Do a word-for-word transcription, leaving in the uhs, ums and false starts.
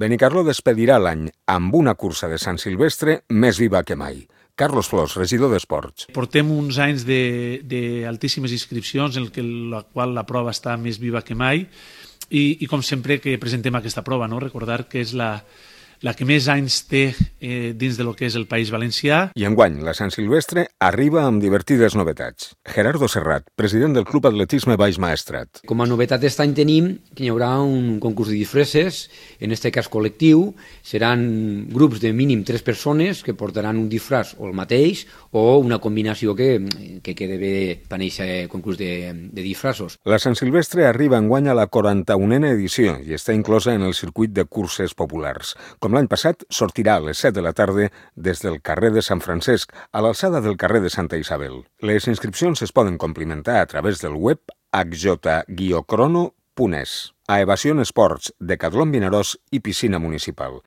Benicarló despedirà l'any amb una cursa de Sant Silvestre més viva que mai. Carlos Flors, regidor d'Esports. Portem uns anys d'altíssimes inscripcions en què la qual la prova està més viva que mai i, i com sempre que presentem aquesta prova, no? Recordar que és la, la que més anys té eh, dins de lo que és el País Valencià. I enguany, la Sant Silvestre arriba amb divertides novetats. Gerardo Serrat, president del Club Atletisme Baix Maestrat. Com a novetat aquest any tenim que hi haurà un concurs de disfresses, en aquest cas col·lectiu. Seran grups de mínim tres persones que portaran un disfraç o el mateix o una combinació que, que quede bé per aquest concurs de, de disfraços. La Sant Silvestre arriba enguany a la quaranta-unena edició i està inclosa en el circuit de curses populars. Com l'any passat, sortirà a les set de la tarda des del carrer de Sant Francesc a l'alçada del carrer de Santa Isabel. Les inscripcions es poden complimentar a través del web h j crono punt es. A Evasion Esports, Decatlon Vinaròs i Piscina Municipal.